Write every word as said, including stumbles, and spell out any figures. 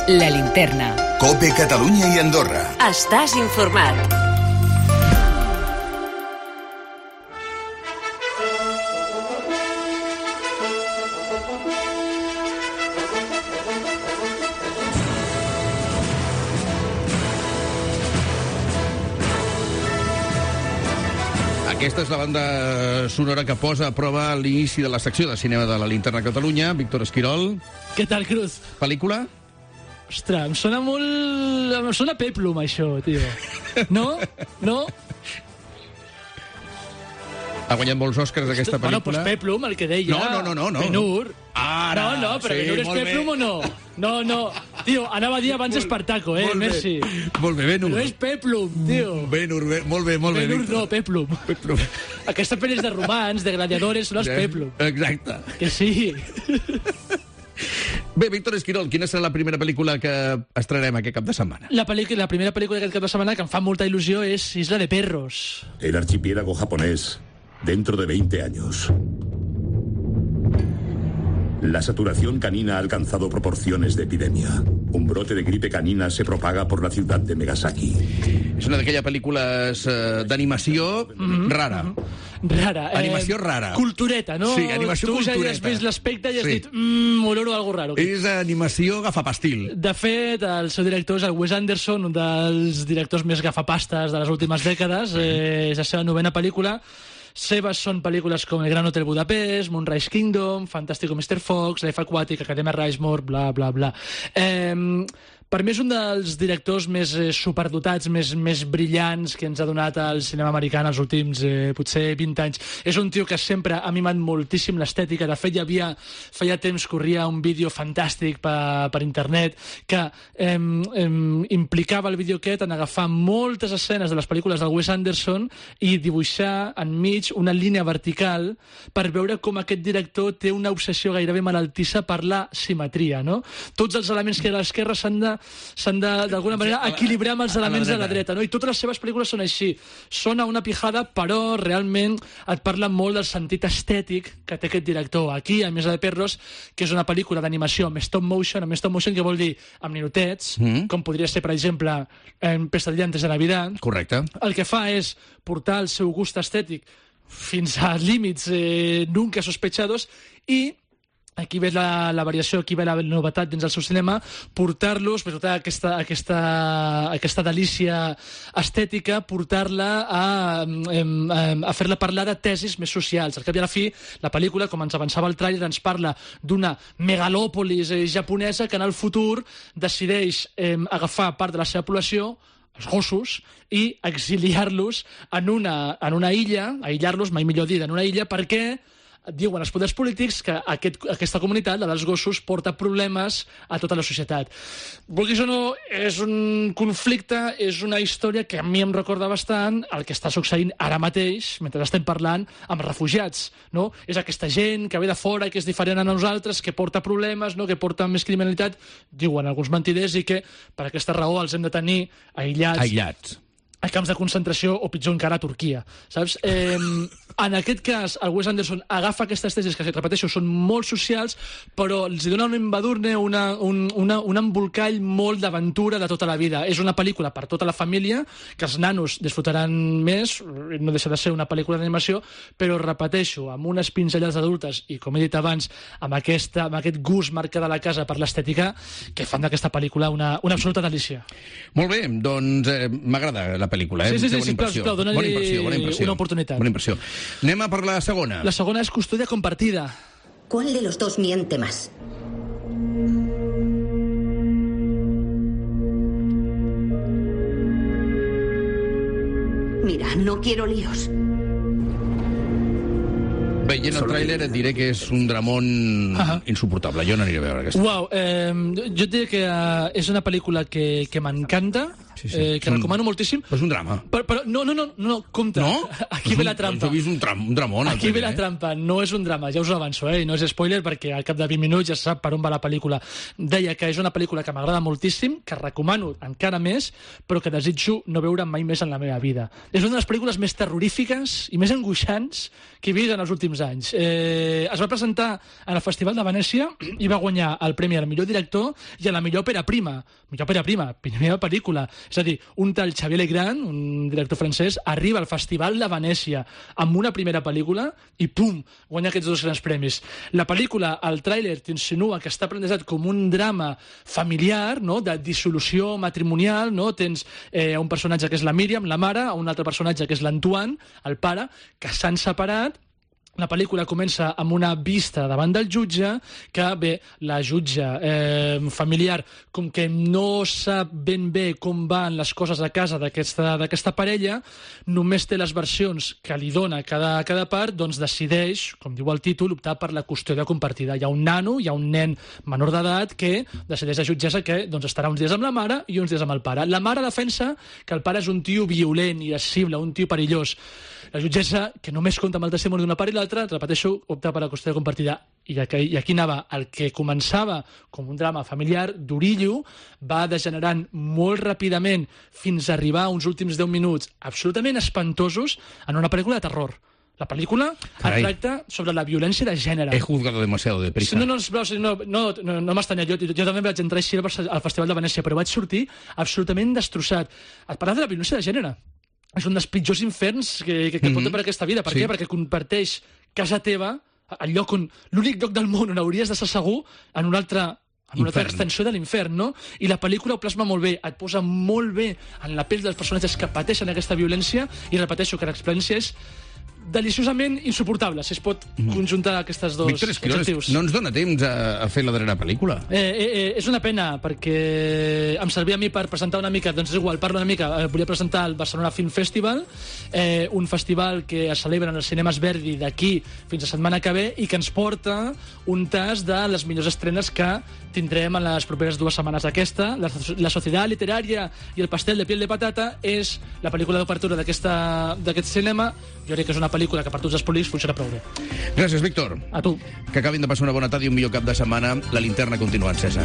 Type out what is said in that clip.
La Linterna. COPE Catalunya i Andorra. Estàs informat. Aquesta és la banda sonora que posa a prova l'inici de la secció de cinema de la Linterna Catalunya. Víctor Esquirol. Què tal, Cruz? Pel·lícula? Ostres, em sona molt... Em sona Peplum, això, tio. No? No? Ha guanyat molts Oscars aquesta pel·lícula. Bueno, doncs Peplum, el que deia. No, no, no, no. no. Ben-Hur. Ara, no, no, però sí, Ben-Hur és Peplum o no? No, no. Tio, anava a dir abans Espartaco, eh, Messi. Molt bé, Ben-Hur. Però és Peplum, tio. Ben-Hur, molt bé, molt bé. Ben-Hur no, Peplum. Peplum. Aquesta pel·li és de romans, de gladiadores, són els Peplum. Exacte. Que sí. Bé, Víctor Esquirol, quina serà la primera pel·lícula que estrenarem aquest cap de setmana? La, la primera pel·lícula d'aquest cap de setmana que em fa molta il·lusió és Isla de Perros. El archipiélago japonés, dentro de veinte años. La saturación canina ha alcanzado proporciones de epidemia. Un brote de gripe canina se propaga por la ciudad de Megasaki. És una d'aquelles pel·lícules eh, d'animació mm-hmm. rara. Mm-hmm. Rara. Animació eh, rara. Cultureta, no? Sí, animació tu cultureta. Tu ja has vist l'aspecte i has sí. dit, mmm, oloro algo raro. És animació gafapastil. De fet, el seu director és el Wes Anderson, un dels directors més gafapastes de les últimes dècades. Eh, és la seva novena pel·lícula. Seves són pel·lícules com El Gran Hotel Budapest, Moonrise Kingdom, Fantástico mister Fox, Life Aquatic, Academia Rushmore, bla, bla, bla. Eh, per mi és un dels directors més eh, superdotats, més, més brillants que ens ha donat el cinema americà en els últims, eh, potser, vint anys. És un tio que sempre ha mimat moltíssim l'estètica. De fet, hi havia, feia temps, corria un vídeo fantàstic per, per internet que eh, eh, implicava el vídeo aquest en agafar moltes escenes de les pel·lícules del Wes Anderson i dibuixar enmig una línia vertical per veure com aquest director té una obsessió gairebé malaltissa per la simetria, no? Tots els elements que hi ha a l'esquerra s'han de s'han de, d'alguna manera, equilibrar amb els elements de la dreta, no? I totes les seves pel·lícules són així. Sona una pijada, però realment et parla molt del sentit estètic que té aquest director. Aquí, a Isla de Perros, que és una pel·lícula d'animació amb stop motion, amb stop motion que vol dir amb ninotets, mm. com podria ser, per exemple, en Pesadilla antes de Navidad. Correcte. El que fa és portar el seu gust estètic fins a límits eh, nunca sospechados i aquí ves la, la variació, aquí ve la novetat dins del seu cinema, portar-los, per tota aquesta, aquesta, aquesta delícia estètica, portar-la a, a, a fer-la parlar de tesis més socials. Al cap i a la fi, la pel·lícula, com ens avançava el tràiler, ens parla d'una megalòpolis eh, japonesa que en el futur decideix eh, agafar part de la seva població, els gossos, i exiliar-los en una, en una illa, aïllar-los, mai millor dit, en una illa, perquè diuen els poders polítics que aquest, aquesta comunitat, la dels gossos, porta problemes a tota la societat. Vulguis o no, és un conflicte, és una història que a mi em recorda bastant el que està succeint ara mateix, mentre estem parlant amb refugiats, no? És aquesta gent que ve de fora, que és diferent a nosaltres, que porta problemes, no? Que porta més criminalitat, diuen alguns mentiders, i que per aquesta raó els hem de tenir aïllats. Aïllats. A camps de concentració o pitjor encara a Turquia, saps? Eh, en aquest cas, el Wes Anderson agafa aquestes tesis que, repeteixo, són molt socials, però els dona un embadurne, una, un, una, un embolcall molt d'aventura de tota la vida. És una pel·lícula per tota la família, que els nanos disfrutaran més, no deixa de ser una pel·lícula d'animació, però, repeteixo, amb unes pinzellades adultes i, com he dit abans, amb, aquesta, amb aquest gust marcat de la casa per l'estètica, que fan d'aquesta pel·lícula una, una absoluta delícia. Molt bé, doncs eh, m'agrada la pel·lícula, eh? Sí, sí, sí, bona sí, impressió. clar, dona-li bona impressió, bona impressió. una oportunitat. Bona impressió. Anem a per la segona. La segona és Custodia compartida. ¿Cuál de los dos miente más? Mira, no quiero líos. Veient el tràiler et diré que és un dramón uh-huh. insuportable. Jo no aniré a veure aquesta. Uau, eh, jo et diré que uh, és una pel·lícula que, que m'encanta. Sí, sí. Eh, que un... recomano moltíssim. Però és un drama. Però, però no, no, no, no, compte. No? Aquí ve la trampa. Jo he vist un, tram, un dramón. Aquí ve la trampa. No és un drama, ja us ho avanço, eh? I no és spoiler perquè al cap de vint minuts ja se sap per on va la pel·lícula. Deia que és una pel·lícula que m'agrada moltíssim, que recomano encara més, però que desitjo no veure mai més en la meva vida. És una de les pel·lícules més terrorífiques i més angoixants que he vist en els últims anys. Eh, es va presentar en el Festival de Venècia i va guanyar el premi al millor director i a la millor òpera prima. Millor òpera prima, primera pel·lícula. És a dir, un tal Xavier Legrand, un director francès, arriba al Festival de Venècia amb una primera pel·lícula i pum, guanya aquests dos grans premis. La pel·lícula, el tràiler t'insinua que està plantejat com un drama familiar, no?, de dissolució matrimonial, no? Tens eh, un personatge que és la Míriam, la mare, un altre personatge que és l'Antoine, el pare, que s'han separat. La pel·lícula comença amb una vista davant del jutge, que bé, la jutge eh, familiar, com que no sap ben bé com van les coses a casa d'aquesta d'aquesta parella, només té les versions que li dona cada, cada part, doncs decideix, com diu el títol, optar per la custòdia compartida. Hi ha un nano, hi ha un nen menor d'edat que decideix la jutgessa que doncs, estarà uns dies amb la mare i uns dies amb el pare. La mare defensa que el pare és un tio violent, irascible, un tio perillós. La jutgessa, que només compta amb el testimoni d'una part i l'altra, repeteixo, opta per la custòdia compartida. I aquí, I aquí anava. El que començava com un drama familiar d'orillo va degenerant molt ràpidament fins a arribar a uns últims deu minuts absolutament espantosos en una pel·lícula de terror. La pel·lícula tracta sobre la violència de gènere. He juzgado demasiado deprisa. No, no, no, no, no, no m'estanya. Jo, jo també vaig entrar així al Festival de Venècia, però vaig sortir absolutament destrossat. Et parla de la violència de gènere. És un dels pitjors inferns que, que, que mm-hmm. pot per aquesta vida. Per sí. què? Perquè comparteix casa teva, el lloc on, l'únic lloc del món on hauries d'estar segur, en una altra, en una altra extensió de l'infern, no? I la pel·lícula ho plasma molt bé, et posa molt bé en la pell dels personatges que pateixen aquesta violència, i repeteixo que l'experiència és deliciosament insuportable, si es pot conjuntar aquestes dos Víctor Esquirol, adjectius. No ens dona temps a, a fer la darrera pel·lícula. Eh, eh, eh, és una pena, perquè em servia a mi per presentar una mica, doncs és igual, parlo una mica, eh, volia presentar el Barcelona Film Festival, eh, un festival que es celebra en els cinemes Verdi d'aquí fins a setmana que ve i que ens porta un tas de les millors estrenes que tindrem en les properes dues setmanes. Aquesta, La, la Sociedad Literaria i el Pastel de Piel de Patata, és la pel·lícula d'obertura d'aquest cinema. Jo crec que és una pel·lícula que per tots els públics funciona prou bé. Gràcies, Víctor. A tu. Que acabin de passar una bona tarda i un millor cap de setmana. La linterna continua encesa.